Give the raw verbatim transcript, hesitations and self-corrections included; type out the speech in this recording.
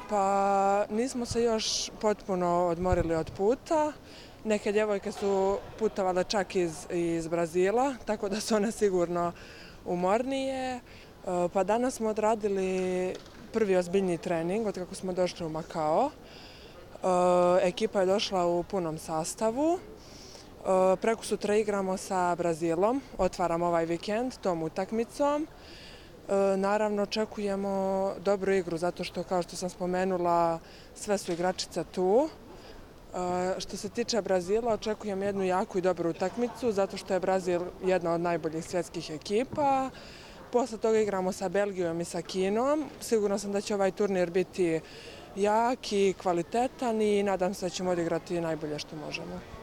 Pa nismo se još potpuno odmorili od puta. Neke djevojke su putovale čak iz, iz Brazila, tako da su one sigurno umornije. Pa danas smo odradili prvi ozbiljni trening od kako smo došli u Makao. Ekipa je došla u punom sastavu. Preko sutra igramo sa Brazilom, otvaramo ovaj vikend tom utakmicom. Naravno, očekujemo dobru igru, zato što, kao što sam spomenula, sve su igračice tu. Što se tiče Brazila, očekujem jednu jaku i dobru utakmicu, zato što je Brazil jedna od najboljih svjetskih ekipa. Posle toga igramo sa Belgijom i sa Kinom. Sigurno sam da će ovaj turnir biti jak i kvalitetan i nadam se da ćemo odigrati najbolje što možemo.